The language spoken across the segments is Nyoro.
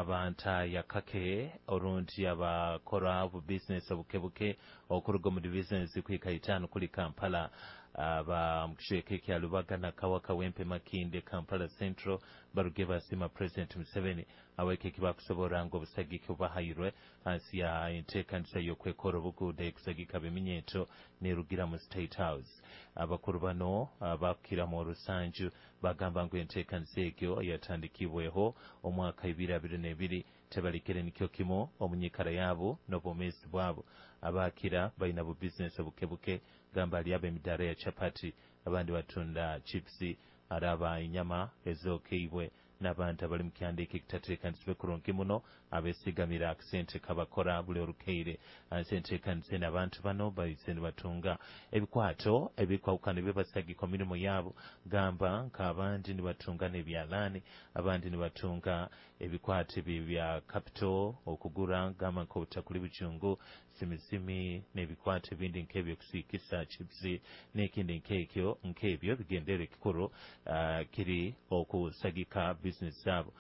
Abantaya kake orundi abakora obubizinesi obukebuke okuruga omu divisions kuhika 5 kuli Kampala, aba mukicweka ekya Lubaga, Nakawa, Kawempe, Makindye, Kampala Central baruge basiima President Museveni aweke ekibakusobora ngu obusagiki obubahairwe hansi ya enteekanisa y'okwekora obuguuda ekusagika ab'eminyeeto nerugira mu State House. Abakuru bano bakukiramu orusanju bagamba ngu enteekanisa egyo yatandikibweho omwaka 2022 tebalikire nikyo kimu omu nyikara yaabo n'obwomeezi bwabo. Abakira baina bubizinesi obukebuke, gamba ali ab'emidaara ya chapati, abandi batunda chipsi, araba enyama ezokeibwe, n'abantu abali mu kyanda eki ekitateekanisibwe kurungi muno abesigamira akasente kabakora buli orukeire. Hansi enteekanisa enu abantu bano baize nibatunga ebikwato ebikwahukana ebibasagika omu mirimo yaabo, gamba nk'abandi nibatunga n'ebyalaani, abandi nibatunga ebikwato ebi bya capital okugura gamba nk'obutakuli bujungu, simisimi n'ebikwato ebindi nk'ebyokusiikisa chipsi n'ekindi nk'ekyo nk'ebyo. Bigendere ekikuru kiri okusagika bizinesi zaabo.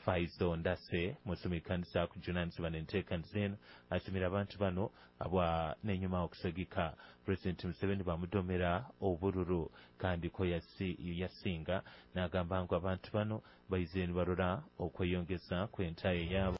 Faizo Ndase musumi kanisa kujunanizibwa n'enteekaniza enu asimira abantu bano abwa n'enyuma okusagika President Museveni bamudomera obururu kandi ko yasinga, n'agamba ngu abantu bano baize nibarora okweyongeza kw'entaye yaabo.